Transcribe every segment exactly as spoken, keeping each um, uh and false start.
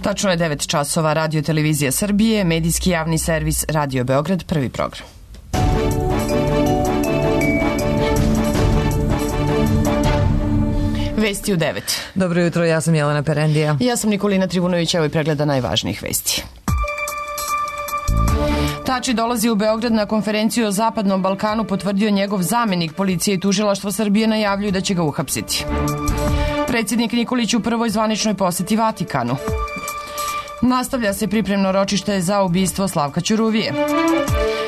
Tačno je devet časova. Radio Televizija Srbije, medijski javni servis Radio Beograd, prvi program. Vesti u devet. Dobro jutro, ja sam Jelena Perendija. Ja sam Nikolina Trivunović, evo i pregleda najvažnijih vesti. Tači dolazi u Beograd na konferenciju o Zapadnom Balkanu, potvrdio njegov zamenik. Policija i tužilaštvo Srbije najavljuju da će ga uhapsiti. Predsjednik Nikolić u prvoj zvaničnoj poseti Vatikanu. Nastavlja se pripremno ročište za ubistvo Slavka Ćuruvije.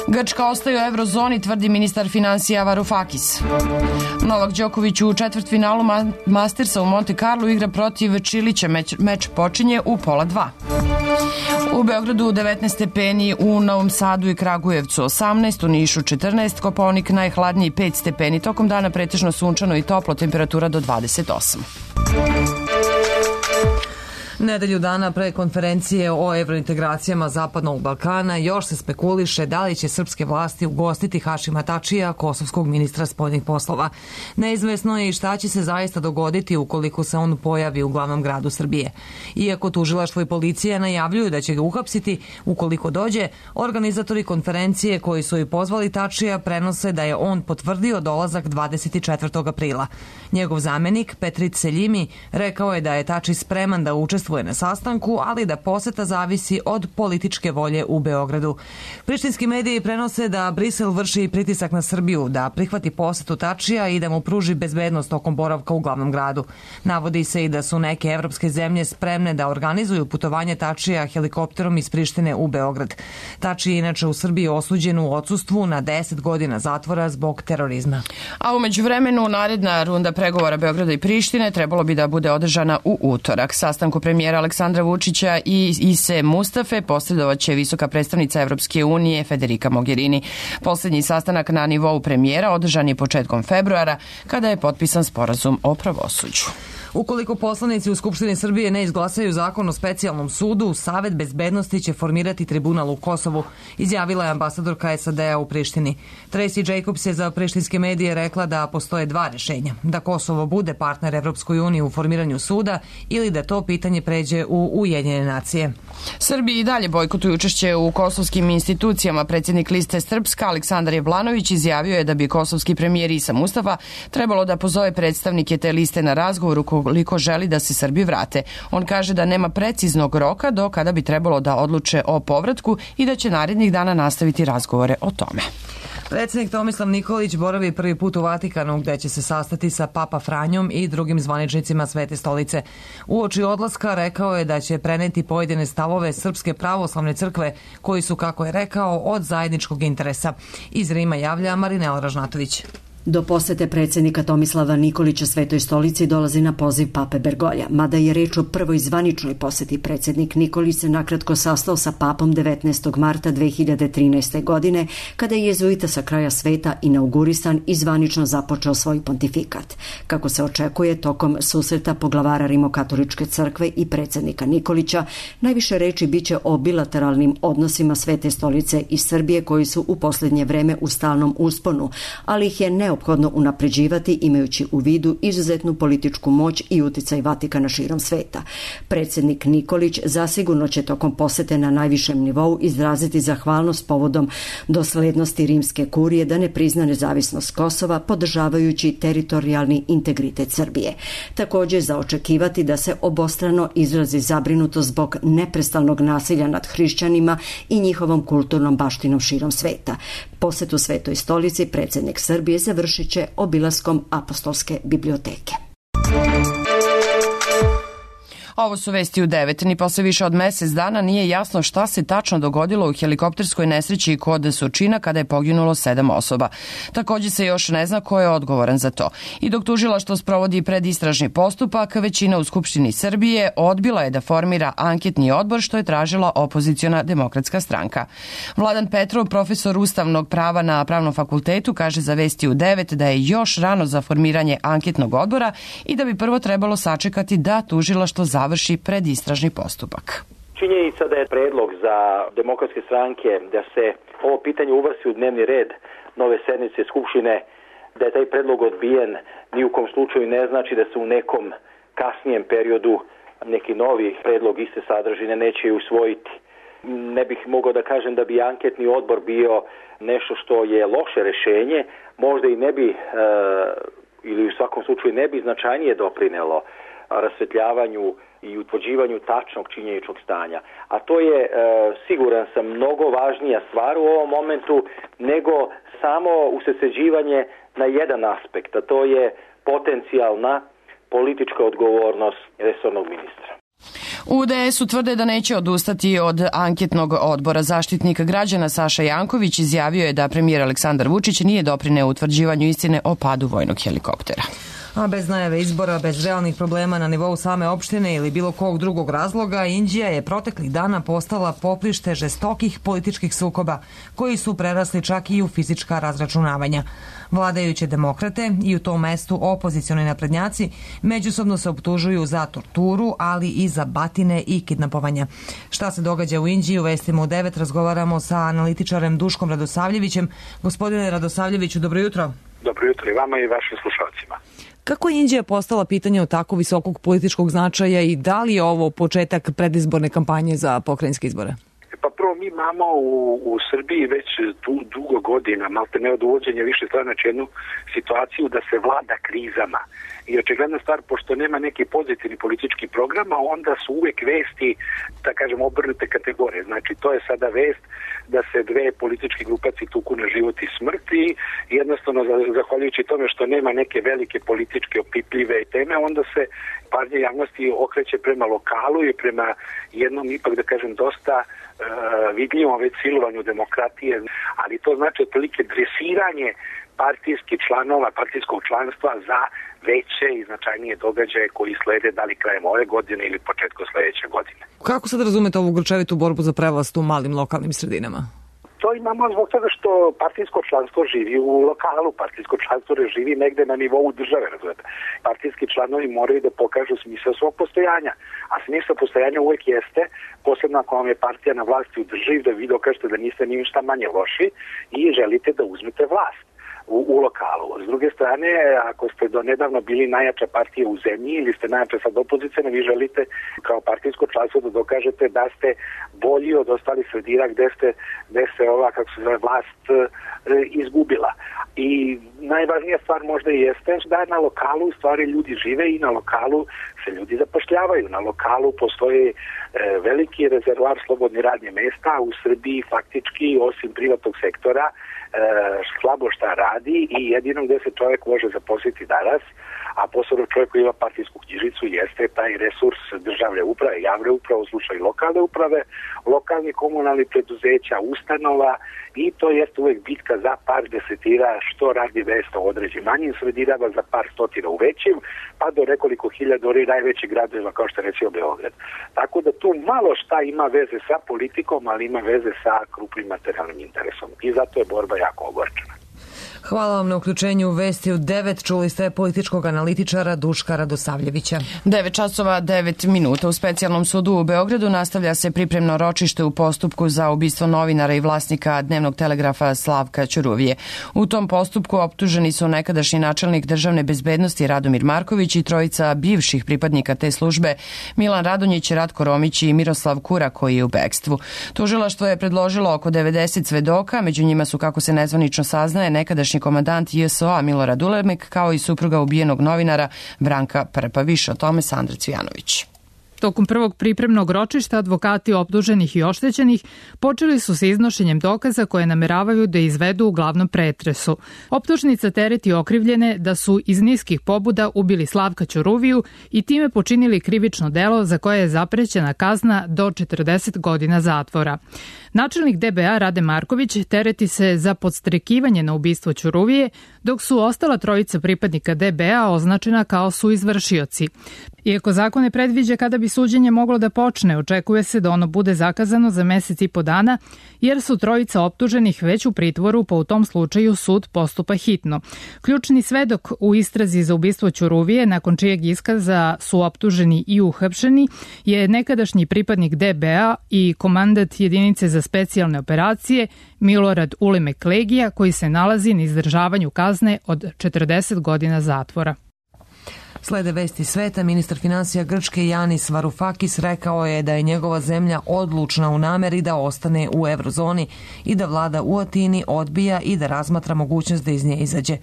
Grčka ostaje u eurozoni, tvrdi ministar finansija Varoufakis. Novak Đoković u četvrtfinalu Mastersa u Monte Carlo igra protiv Čilića. Meč, meč počinje u pola dva. U Beogradu devetnaest stepeni, u Novom Sadu i Kragujevcu osamnaest, u Nišu četrnaest, Kopaonik najhladniji pet stepeni, tokom dana pretežno sunčano i toplo, temperatura do dvadeset osam. Nedelju dana pre konferencije o evrointegracijama Zapadnog Balkana još se spekuliše da li će srpske vlasti ugostiti Hašima Tačija, kosovskog ministra spoljnih poslova. Neizvesno je i šta će se zaista dogoditi ukoliko se on pojavi u glavnom gradu Srbije. Iako tužilaštvo i policija najavljuju da će ga uhapsiti ukoliko dođe, organizatori konferencije koji su i pozvali Tačija prenose da je on potvrdio dolazak dvadeset četvrtog aprila. Njegov zamenik Petrit Seljimi rekao je da je Tači spreman da učestvuje na sastanku, ali da poseta zavisi od političke volje u Beogradu. Prištinski mediji prenose da Brisel vrši pritisak na Srbiju da prihvati posetu Tačija i da mu pruži bezbednost tokom boravka u glavnom gradu. Navodi se i da su neke evropske zemlje spremne da organizuju putovanje Tačija helikopterom iz Prištine u Beograd. Tači je inače u Srbiji osuđen u odsustvu na deset godina zatvora zbog terorizma. A umeđu vremenu naredna runda pregovora Beograda i Prištine trebalo bi da bude održana u utorak. Sastanku premijera Aleksandra Vučića i Ise Mustafe posredovaće visoka predstavnica Evropske unije Federica Mogherini. Poslednji sastanak na nivou premijera održan je početkom februara kada je potpisan sporazum o pravosuđu. Ukoliko poslanici u Skupštini Srbije ne izglasaju zakon o specijalnom sudu, Savet bezbednosti će formirati tribunal u Kosovu, izjavila je ambasadorka es a de a u Prištini. Tracy Jacobs je za prištinske medije rekla da postoje dva rešenja, da Kosovo bude partner Evropskoj uniji u formiranju suda ili da to pitanje pređe u Ujedinjene nacije. Srbiji i dalje bojkotuju učešće u kosovskim institucijama. Predsjednik liste Srpska Aleksandar Jablanović izjavio je da bi kosovski premijer Isa Mustafa trebalo da pozove predstavnike te liste na razgovor ukoliko želi da se Srbi vrate. On kaže da nema preciznog roka do kada bi trebalo da odluče o povratku i da će narednih dana nastaviti razgovore o tome. Predsjednik Tomislav Nikolić boravi prvi put u Vatikanu gde će se sastati sa Papa Franjom i drugim zvaničnicima Svete stolice. Uoči odlaska rekao je da će preneti pojedine stavove Srpske pravoslavne crkve koji su, kako je rekao, od zajedničkog interesa. Iz Rima javlja Marinela Ražnatović. Do posete predsjednika Tomislava Nikolića Svetoj stolici dolazi na poziv pape Bergolja. Mada je reč o prvoj zvaničnoj poseti, predsjednik Nikolić se nakratko sastao sa papom devetnaestog marta dve hiljade trinaeste. godine, kada je jezuita sa kraja sveta inaugurisan i zvanično započeo svoj pontifikat. Kako se očekuje, tokom susreta poglavara Rimokatoličke crkve i predsjednika Nikolića, najviše reči biće o bilateralnim odnosima Svete stolice i Srbije koji su u posljednje vreme u stalnom usponu, ali ih je neophodno neophodno unapređivati imajući u vidu izuzetnu političku moć i uticaj Vatikana širom sveta. Predsjednik Nikolić zasigurno će tokom posete na najvišem nivou izraziti zahvalnost povodom doslednosti rimske kurije da ne prizna nezavisnost Kosova, podržavajući teritorijalni integritet Srbije. Također za očekivati da se obostrano izrazi zabrinutost zbog neprestalnog nasilja nad hrišćanima i njihovom kulturnom baštinom širom sveta. Posetu Svetoj stolici predsjednik Srbije završit će obilaskom apostolske biblioteke. Ovo su vesti u devet. Ni posle više od mesec dana nije jasno šta se tačno dogodilo u helikopterskoj nesreći kod Surčina kada je poginulo sedam osoba. Također se još ne zna ko je odgovoran za to. I dok tužilaštvo sprovodi predistražni postupak, većina u Skupštini Srbije odbila je da formira anketni odbor što je tražila opoziciona Demokratska stranka. Vladan Petrov, profesor ustavnog prava na Pravnom fakultetu, kaže za vesti u devet da je još rano za formiranje anketnog odbora i da bi prvo trebalo sačekati da tužilaštvo završi završi predistražni postupak. Činjenica da je predlog za Demokratske stranke da se ovo pitanje uvrsti u dnevni red nove sednice Skupštine, da je taj predlog odbijen, ni u kom slučaju ne znači da se u nekom kasnijem periodu neki novi predlog iste sadržine neće usvojiti. Ne bih mogao da kažem da bi anketni odbor bio nešto što je loše rešenje, možda i ne bi, e, ili u svakom slučaju ne bi značajnije doprinelo rasvetljavanju i utvrđivanju tačnog činjeničnog stanja. A to je, e, siguran sam, mnogo važnija stvar u ovom momentu nego samo usredsređivanje na jedan aspekt, a to je potencijalna politička odgovornost resornog ministra. U D S-u tvrde da neće odustati od anketnog odbora. Zaštitnik građana Saša Janković izjavio je da premijer Aleksandar Vučić nije doprineo utvrđivanju istine o padu vojnog helikoptera. A bez najave izbora, bez realnih problema na nivou same opštine ili bilo kog drugog razloga, Inđija je proteklih dana postala poprište žestokih političkih sukoba, koji su prerasli čak i u fizička razračunavanja. Vladajuće demokrate i u tom mestu opozicioni naprednjaci međusobno se optužuju za torturu, ali i za batine i kidnapovanja. Šta se događa u Inđiji, u Vestima u devet razgovaramo sa analitičarem Duškom Radosavljevićem. Gospodine Radosavljeviću, dobro jutro. Dobro jutro i vama i vašim slušalcima. Kako je Inđija postala pitanje od tako visokog političkog značaja i da li je ovo početak predizborne kampanje za pokrajinske izbore? Pa prvo, mi imamo u, u Srbiji već du, dugo godina, malte ne od uvođenja više stranača, jednu situaciju da se vlada krizama. I očigledna stvar, pošto nema neki pozitivni politički program, onda su uvek vesti, da kažem, obrnute kategorije. Znači, to je sada vest da se dve političke grupacije tuku na život i smrt i jednostavno, zahvaljujući tome što nema neke velike političke opipljive teme, onda se pažnja javnosti okreće prema lokalu i prema jednom, ipak da kažem, dosta uh, vidljivom već silovanju demokratije, ali to znači otprilike dresiranje partijskih članova, partijskog članstva za veće i značajnije događaje koji slede da li krajem ove godine ili početkom sledeće godine. Kako sad razumete ovu grčevitu borbu za prevlast u malim lokalnim sredinama? To imamo zbog toga što partijsko članstvo živi u lokalu, partijsko članstvo ne živi negde na nivou države, razumete. Partijski članovi moraju da pokažu smisao svog postojanja, a smisao postojanja uvek jeste, posebno ako vam je partija na vlasti u državi, da vi dokažete da niste ni ništa manje loši i želite da uzmete vlast U, u lokalu. S druge strane, ako ste do nedavno bili najjača partija u zemlji ili ste najjača sad opozicijna, vi želite kao partijsko članstvo da dokažete da ste bolji od ostalih sredina gde ste, gde se ova, kako se zove, vlast e, izgubila. I najvažnija stvar možda i jeste da na lokalu u stvari ljudi žive i na lokalu se ljudi zapošljavaju. Na lokalu postoji e, veliki rezervoar slobodnih radnih mesta, a u Srbiji faktički osim privatnog sektora E, slabo šta radi i jedino gde se čovjek može zaposliti danas, a posebno čovjek koji ima partijsku knjižicu, jeste taj resurs državne uprave, javne uprave, u slučaju lokalne uprave, lokalnih komunalnih preduzeća, ustanova, i to jeste uvek bitka za par desetira što radi mesta u određenim manjim sredinama, za par stotina u većim, pa do nekoliko hiljada ori najvećih gradova kao što je recimo Beograd. Tako da tu malo šta ima veze sa politikom, ali ima veze sa krupnim materijalnim interesom. I zato je borba jako ogorčena. Hvala vam na uključenju u Vesti u devet. Čuli ste političkog analitičara Duška Radosavljevića. devet časova devet minuta. U specijalnom sudu u Beogradu nastavlja se pripremno ročište u postupku za ubistvo novinara i vlasnika Dnevnog telegrafa Slavka Ćuruvije. U tom postupku optuženi su nekadašnji načelnik državne bezbednosti Radomir Marković i trojica bivših pripadnika te službe Milan Radonjić, Ratko Romić i Miroslav Kura, koji je u bekstvu. Tužilaštvo je predložilo oko devedeset svedoka, među njima su, kako se nezvanično saznaje, nekadašnji komandant J S O-a Milorad Ulemek, kao i supruga ubijenog novinara Branka Prpa. Više o tome Sandra Cvijanović. Tokom prvog pripremnog ročišta advokati optuženih i oštećenih počeli su sa iznošenjem dokaza koje nameravaju da izvedu u glavnom pretresu. Optužnica tereti okrivljene da su iz niskih pobuda ubili Slavka Ćuruviju i time počinili krivično delo za koje je zaprećena kazna do četrdeset godina zatvora. Načelnik D B A Rade Marković tereti se za podstrekivanje na ubistvo Ćuruvije, dok su ostala trojica pripadnika D B A označena kao suizvršioci. Iako zakon ne predviđa kada bi suđenje moglo da počne, očekuje se da ono bude zakazano za mesec i po dana, jer su trojica optuženih već u pritvoru, pa u tom slučaju sud postupa hitno. Ključni svedok u istrazi za ubistvo Ćuruvije, nakon čijeg iskaza su optuženi i uhapšeni, je nekadašnji pripadnik D B A i komandant jedinice za specijalne operacije Milorad Ulemek Legija, koji se nalazi na izdržavanju kazne od četrdeset godina zatvora. Slede vesti sveta, ministar finansija Grčke Janis Varoufakis rekao je da je njegova zemlja odlučna u nameri da ostane u eurozoni i da vlada u Atini odbija i da razmatra mogućnost da iz nje izađe.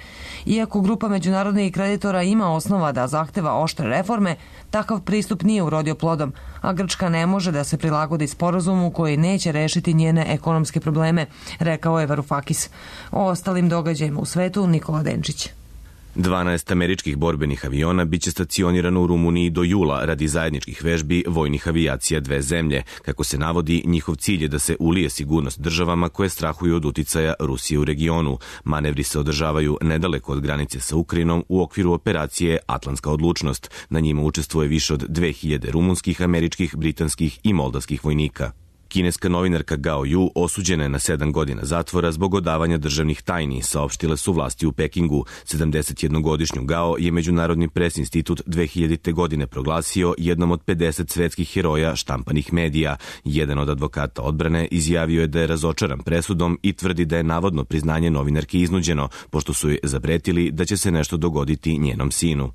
Iako grupa međunarodnih kreditora ima osnova da zahteva oštre reforme, takav pristup nije urodio plodom, a Grčka ne može da se prilagodi sporazumu koji neće rešiti njene ekonomske probleme, rekao je Varoufakis. O ostalim događajima u svetu Nikola Denčić. dvanaest američkih borbenih aviona biće stacionirano u Rumuniji do jula radi zajedničkih vežbi vojnih avijacija dve zemlje. Kako se navodi, njihov cilj je da se ulije sigurnost državama koje strahuju od uticaja Rusije u regionu. Manevri se održavaju nedaleko od granice sa Ukrajinom u okviru operacije Atlantska odlučnost. Na njima učestvuje više od dve hiljade rumunskih, američkih, britanskih i moldavskih vojnika. Kineska novinarka Gao Yu osuđena je na sedam godina zatvora zbog odavanja državnih tajni, saopštile su vlasti u Pekingu. sedamdesetjednogodišnju Gao je Međunarodni pres institut dve hiljadite. godine proglasio jednom od pedeset svetskih heroja štampanih medija. Jedan od advokata odbrane izjavio je da je razočaran presudom i tvrdi da je navodno priznanje novinarke iznuđeno, pošto su joj zapretili da će se nešto dogoditi njenom sinu.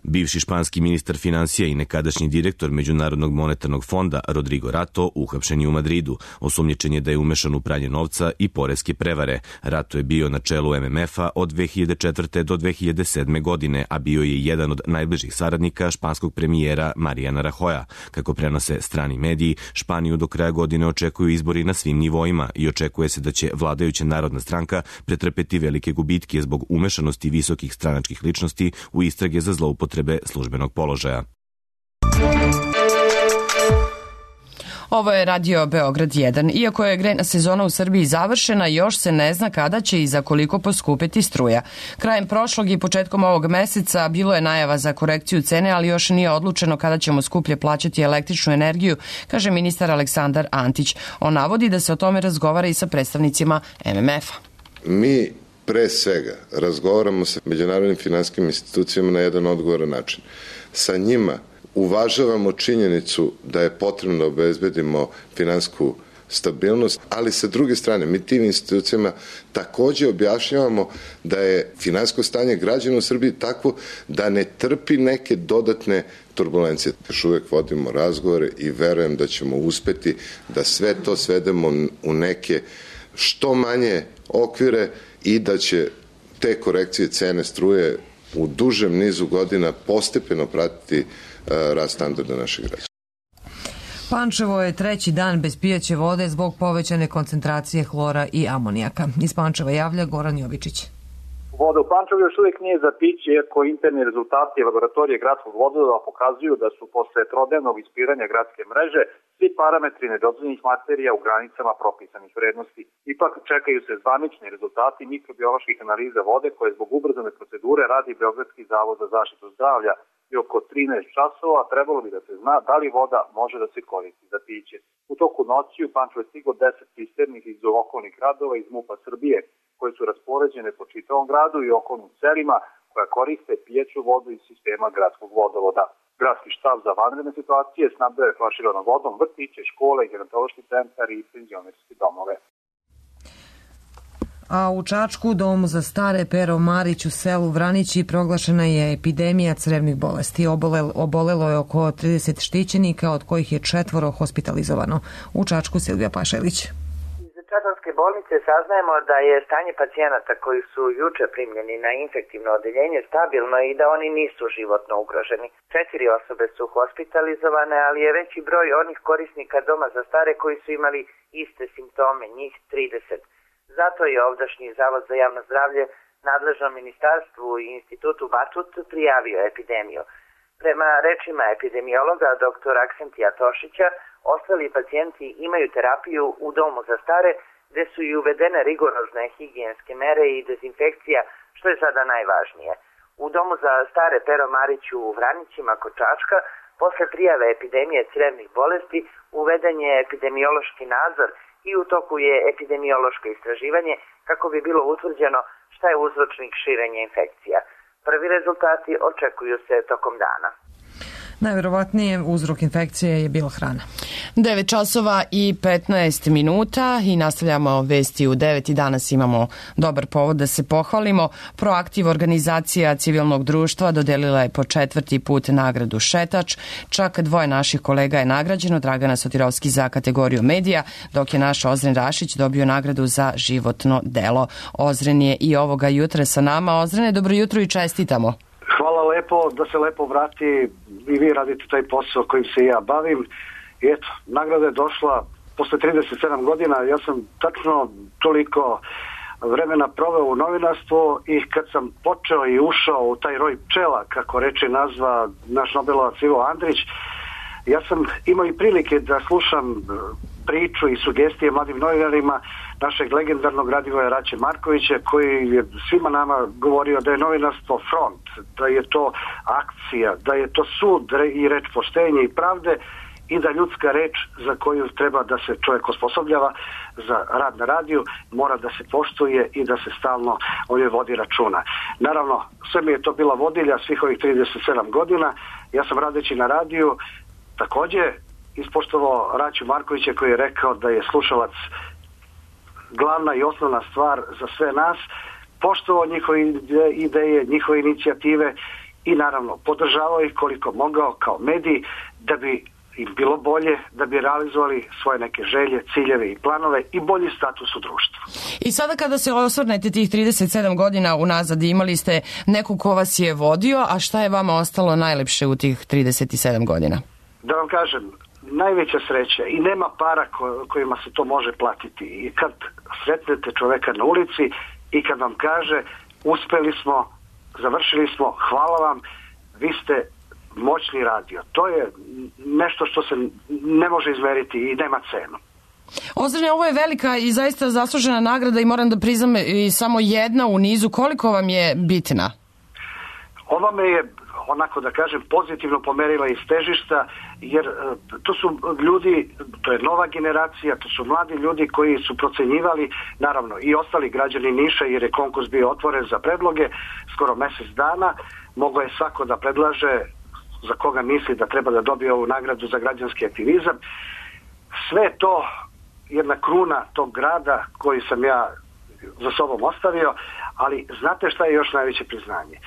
Bivši španski ministar finansija i nekadašnji direktor Međunarodnog monetarnog fonda Rodrigo Rato uhapšen je u Madridu. Osumnjičen je da je umešan u pranje novca i poreske prevare. Rato je bio na čelu M M F-a od dve hiljade četvrte. do dve hiljade sedme. godine, a bio je jedan od najbližih saradnika španskog premijera Mariana Rajoja. Kako prenose strani mediji, Španiju do kraja godine očekuju izbori na svim nivoima i očekuje se da će vladajuća Narodna stranka pretrpeti velike gubitke zbog umešanosti visokih stranačkih ličnosti u istrage za zloupotrebe službenog položaja. Ovo je Radio Beograd jedan. Iako je grejna sezona u Srbiji završena, još se ne zna kada će i za koliko poskupiti struja. Krajem prošlog i početkom ovog meseca bilo je najava za korekciju cene, ali još nije odlučeno kada ćemo skuplje plaćati električnu energiju, kaže ministar Aleksandar Antić. On navodi da se o tome razgovara i sa predstavnicima M M F-a. Mi pre svega razgovaramo sa međunarodnim finansijskim institucijama na jedan odgovoran način. Sa njima uvažavamo činjenicu da je potrebno da obezbedimo finansijsku stabilnost, ali sa druge strane mi tim institucijama takođe objašnjavamo da je finansijsko stanje građana u Srbiji takvo da ne trpi neke dodatne turbulencije. Još uvek vodimo razgovore i verujem da ćemo uspeti da sve to svedemo u neke što manje okvire i da će te korekcije cene struje u dužem nizu godina postepeno pratiti rast standarda naših građana. Pančevo je treći dan bez pijaće vode zbog povećane koncentracije hlora i amonijaka. Iz Pančeva javlja Goran Jovičić. Voda u Pančevu još uvijek nije za piće, iako interni rezultati laboratorije gradskog vodova pokazuju da su posle trodnevnog ispiranja gradske mreže svi parametri nedozvoljenih materija u granicama propisanih vrednosti. Ipak čekaju se zvanični rezultati mikrobioloških analiza vode koje zbog ubrzane procedure radi Beogradski zavod za zaštitu zdravlja i oko trinaest časova trebalo bi da se zna da li voda može da se koristi za piće. U toku noći u Pančevo je stiglo deset cisternih iz okolnih gradova iz MUP-a Srbije, koje su raspoređene po čitavom gradu i okolnim selima koja koriste pijeću vodu iz sistema gradskog vodovoda. Gradski štab za vanredne situacije snabdeo je flaširanom vodom vrtiće, škole, gerontološki centar i penzionerske domove. A u Čačku, domu za stare Pero Marić u selu Vranići, proglašena je epidemija crevnih bolesti. Obolelo, obolelo je oko trideset štićenika, od kojih je četvoro hospitalizovano. U Čačku Silvija Pašelić. Čačanske bolnice saznajemo da je stanje pacijenata koji su juče primljeni na infektivno odeljenje stabilno i da oni nisu životno ugroženi. Četiri osobe su hospitalizovane, ali je veći broj onih korisnika doma za stare koji su imali iste simptome, njih trideset. Zato je ovdašnji Zavod za javno zdravlje nadležnom ministarstvu i institutu Batut prijavio epidemiju. Prema rečima epidemiologa doktora Aksentija Tošića, ostali pacijenti imaju terapiju u domu za stare, gde su i uvedene rigorozne higijenske mere i dezinfekcija, što je sada najvažnije. U domu za stare Pero Marić u Vranićima kod Čačka, posle prijave epidemije crevnih bolesti, uveden je epidemiološki nadzor i u toku je epidemiološko istraživanje kako bi bilo utvrđeno šta je uzročnik širenja infekcija. Prvi rezultati očekuju se tokom dana. Najverovatnije uzrok infekcije je bila hrana. devet časova i petnaest minuta i nastavljamo vesti u devet i danas imamo dobar povod da se pohvalimo. Proaktiv, organizacija civilnog društva, dodelila je po četvrti put nagradu Šetač. Čak dvoje naših kolega je nagrađeno, Dragana Sotirovski za kategoriju medija, dok je naš Ozren Rašić dobio nagradu za životno delo. Ozren je i ovoga jutra sa nama. Ozrene, dobro jutro i čestitamo. Hvala lepo, da se lepo vrati i vi radite taj posao kojim se ja bavim. I eto, nagrada je došla posle trideset sedam godina. Ja sam tačno toliko vremena proveo u novinarstvu i kad sam počeo i ušao u taj roj pčela, kako reče nazva naš Nobelovac Ivo Andrić, ja sam imao i prilike da slušam priču i sugestije mladim novinarima našeg legendarnog Radivoja Raće Markovića, koji je svima nama govorio da je novinarstvo front, da je to akcija, da je to sud i reč poštenja i pravde i da ljudska reč za koju treba da se čovjek osposobljava za rad na radiju mora da se poštuje i da se stalno o njoj vodi računa. Naravno, sve mi je to bila vodilja svih ovih trideset sedam godina. Ja sam radeći na radiju takođe ispoštovao Raću Markovića, koji je rekao da je slušalac glavna i osnovna stvar za sve nas, poštovao njihove ideje, njihove inicijative i naravno podržavao ih koliko mogao kao medij da bi im bilo bolje, da bi realizovali svoje neke želje, ciljeve i planove i bolji status u društvu. I sada kada se osvrnete tih trideset sedam godina unazad, imali ste nekog ko vas je vodio, a šta je vama ostalo najlepše u tih trideset sedam godina? Da vam kažem, najveća sreća i nema para ko, kojima se to može platiti. I kad sretnete čoveka na ulici i kad vam kaže uspeli smo, završili smo, hvala vam, vi ste moćni radio. To je nešto što se ne može izmeriti i nema cenu. Ozrene, ovo je velika i zaista zaslužena nagrada i moram da priznam i samo jedna u nizu. Koliko vam je bitna? Ova me je, onako da kažem, pozitivno pomerila iz težišta, jer to su ljudi, to je nova generacija, to su mladi ljudi koji su procenjivali, naravno i ostali građani Niša, jer je konkurs bio otvoren za predloge skoro mesec dana. Moglo je svako da predlaže za koga misli da treba da dobije ovu nagradu za građanski aktivizam. Sve to jedna kruna tog grada koji sam ja za sobom ostavio, ali znate šta je još najveće priznanje?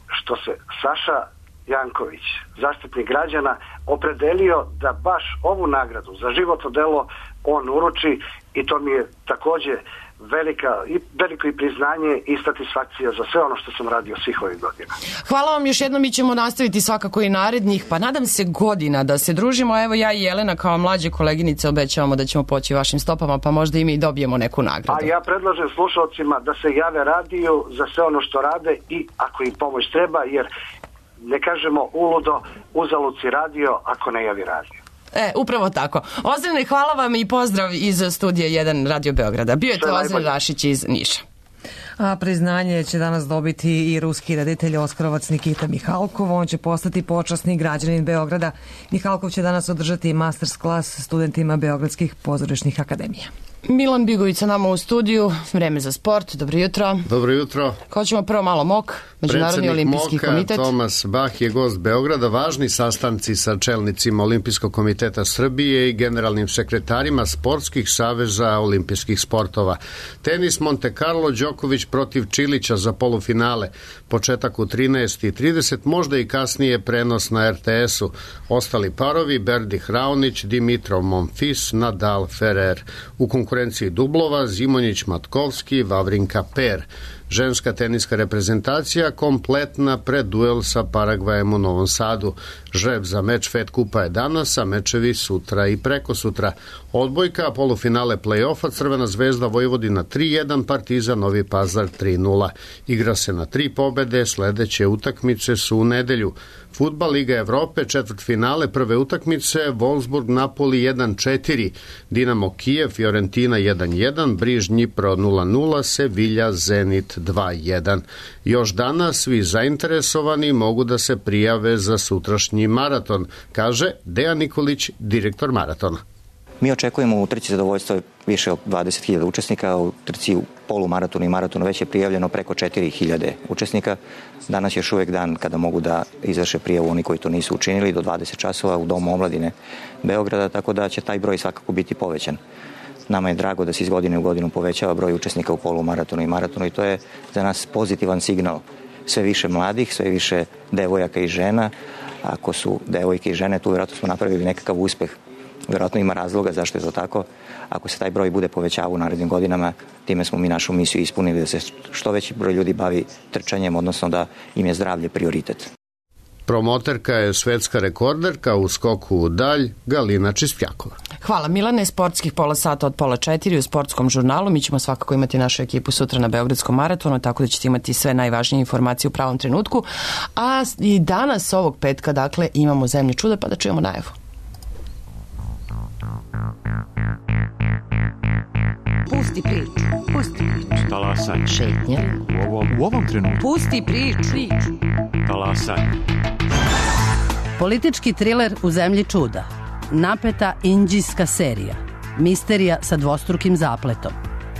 Što se Saša Janković, zaštitnik građana, opredelio da baš ovu nagradu za životno delo on uruči i to mi je takođe velika, i, veliko i priznanje i satisfakcija za sve ono što sam radio svih ovih godina. Hvala vam još jednom, mi ćemo nastaviti svakako i narednih, pa nadam se godina da se družimo. Evo ja i Jelena kao mlađe koleginice obećavamo da ćemo poći vašim stopama, pa možda i mi dobijemo neku nagradu. A ja predlažem slušalcima da se jave radiju za sve ono što rade i ako im pomoć treba, jer ne kažemo uludo uzalud si radio ako ne javi radio. E, upravo tako. Ozrene, hvala vam i pozdrav iz studija jedan Radio Beograda. Bio je to Ozren Rašić iz Niša. A priznanje će danas dobiti i ruski reditelj Oskarovac Nikita Mihalkov. On će postati počasni građanin Beograda. Mihalkov će danas održati masters klas studentima Beogradskih pozorišnih akademija. Milan Bigović sa nama u studiju, vreme za sport, dobro jutro. Dobro jutro. Ko ćemo prvo malo mok, Međunarodni olimpijski Moka, komitet. Tomas Bah je gost Beograda, važni sastanci sa čelnicima Olimpijskog komiteta Srbije i generalnim sekretarima sportskih saveza olimpijskih sportova. Tenis Monte Carlo, Đoković protiv Čilića za polufinale, početak u trinaest i trideset, možda i kasnije prenos na er te esu. Ostali parovi, Berdih Raonić, Dimitrov Monfils, Nadal Ferrer. U konkurenciji dublova Zimonjić Matkovski, Vavrinka Per. Ženska teniska reprezentacija kompletna pred duel sa Paragvajem u Novom Sadu. Žreb za meč Fed Kupa je danas, a mečevi sutra i preko sutra. Odbojka, polufinale play-offa, Crvena zvezda Vojvodina tri jedan, Partizan Novi Pazar tri nula. Igra se na tri pobede, sledeće utakmice su u nedelju. Fudbal Liga Evrope, četvrtfinale, prve utakmice, Wolfsburg Napoli jedan četiri, Dinamo Kijev Fiorentina jedan jedan, Briž Dnipro nula nula, Sevilla Zenit dva jedan. Još danas svi zainteresovani mogu da se prijave za sutrašnji maraton, kaže Dejan Nikolić, direktor maratona. Mi očekujemo u trci zadovoljstvo više od dvadeset hiljada učesnika, u trci u polumaratonu i maratonu već je prijavljeno preko četiri hiljade učesnika. Danas je još uvijek dan kada mogu da izvrše prijavu oni koji to nisu učinili do dvadeset časova u Domu omladine Beograda, tako da će taj broj svakako biti povećan. Nama je drago da se iz godine u godinu povećava broj učesnika u polumaratonu i maratonu i to je za nas pozitivan signal. Sve više mladih, sve više devojaka i žena. Ako su devojke i žene, tu vjerojatno smo napravili nekakav uspeh. Vjerojatno ima razloga zašto je to tako. Ako se taj broj bude povećavao u narednim godinama, time smo mi našu misiju ispunili da se što veći broj ljudi bavi trčanjem, odnosno da im je zdravlje prioritet. Promoterka je svetska rekorderka u skoku u dalj Galina Čispjakova. Hvala Milane, sportskih pola sata od pola četiri u sportskom žurnalu. Mi ćemo svakako imati našu ekipu sutra na Beogradskom maratonu, tako da ćete imati sve najvažnije informacije u pravom trenutku. A i danas ovog petka, dakle, imamo Zemlje čuda, pa da čujemo najavu. Pusti priču, pusti priču. Talasanje. Šetnja. U ovom, u ovom trenutku. Pusti priču. Talasanje. Politički triler u Zemlji čuda. Napeta indijska serija. Misterija sa dvostrukim zapletom.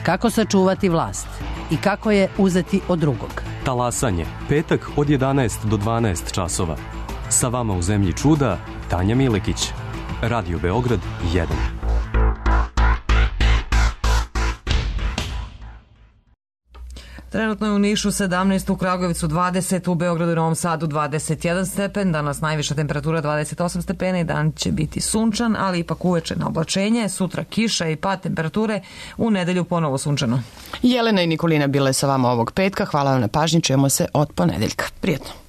Kako sačuvati vlast i kako je uzeti od drugog. Talasanje. Petak od jedanaest do dvanaest časova. Sa vama u Zemlji čuda Tanja Milekić. Radio Beograd jedan. Trenutno je u Nišu sedamnaest, u Kragujevcu dvadeset, u Beogradu i Novom Sadu dvadeset jedan stepen, danas najviša temperatura dvadeset osam stepena i dan će biti sunčan, ali ipak uveče na oblačenje, sutra kiša i pad temperature, u nedelju ponovo sunčano. Jelena i Nikolina bile sa vama ovog petka, hvala vam na pažnji, čujemo se od ponedeljka. Prijetno.